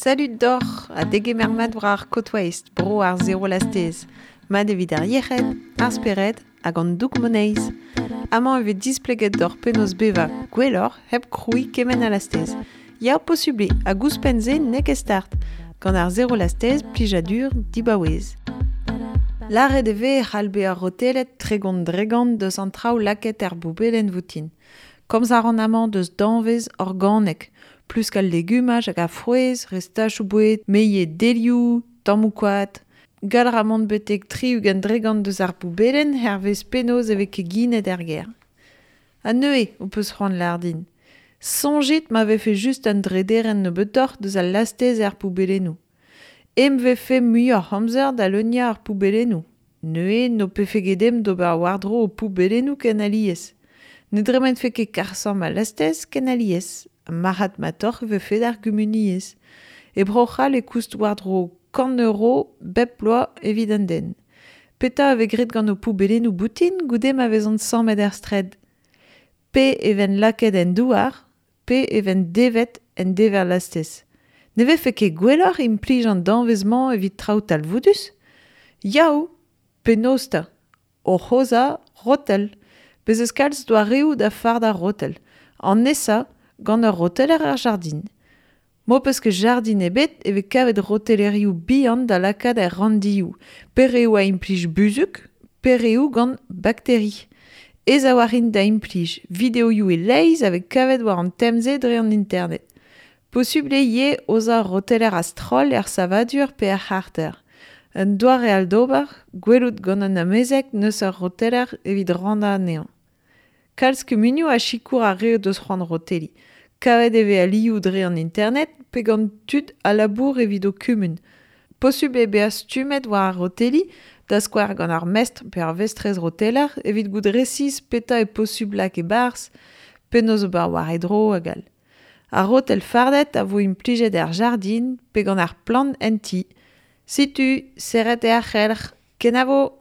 Salud doc'h ha degemer mat war ar Côte Waste, bro ar zero lastez. Mat evit ar yec'hed, ar spered hag an doug moneiz. Amañ e vez displeget doc'h penaos bevañ gwelloc'h hep krouiñ kement a lastez. Ya, posubl eo, hag ouzhpenn-se n'eo ket start. Gant ar zero lastez, plijadur dibaouez. Lâret e vez e c'hall bezañ rotelet 30% deus an traoù lakaet er boubelenn voutin. Komz a ran amañ deus danvez organek, plusk al legumaj hag ar frouezh, restachoù boued, meilhed delioù, tammoù koad. Gall a ra mont betek 60% deus ar boubelenn hervez penaos e vez keginet er gêr. Ha neuze ho peus c'hoant lâr din. Soñjit ma vefe just un drederenn nebeutoc'h deus al lastez er poubellennoù. Em vefe muioc'h amzer da leuniañ ar poubellennoù. Neuze n'ho pefe ket ezhomm d'ober war-dro ho poubellennoù ken alies. Ne dremenfe ket karr-samm al lastez ken alies. Marc'had-matoc'h e vefe d'ar gumuniezh. E Bro-C'hall e koust war-dro 100 euro bep bloaz evit un den. Petra a vez graet gant ho poubellennoù boutin goude ma vezont sammet er straed? Pe e vent lakaet en douar, pe e vent devet en dever lastez. Ne vefe ket gwelloc'h implij an danvez-mañ evit traoù talvoudus? Yaou ! Penaos 'ta ? Oc'h aozañ rotel. Bez' eus kalz doareoù da fardañ rotel. An nesañ gant ur roteler er jardin. M'ho peus ket jardin ebet e vez kavet rotelerioù bihan da lakaat er ranndioù, pe reoù a implij buzhug, pe reoù gant bakteri. Aes a-walc'h int da implij, videoioù e-leizh a vez kavet war an tem-se dre an internet. Posubl eo ivez aozañ ur roteler a-stroll er savadur pe er c'harter. Un doare all d'ober, gwelout gant un amezeg n'eus ur roteler evit rannañ anezhañ. Kalz kumunioù a sikour ar re o deus c'hoant roteliñ. Kavet e vez alioù dre an internet pe gant tud a labour evit ho kumun. Posubl eo bezañ stummet war ar roteliñ, da skouer gant ar mestr pe ar vestrez roteler evit goût resis petra eo posubl lak e-barzh, penaos ober war e dro hag all. Ar rotel fardet a vo implijet er jardin pe gant ar plant en ti. Setu, serret eo ar c'helc'h. Kenavo !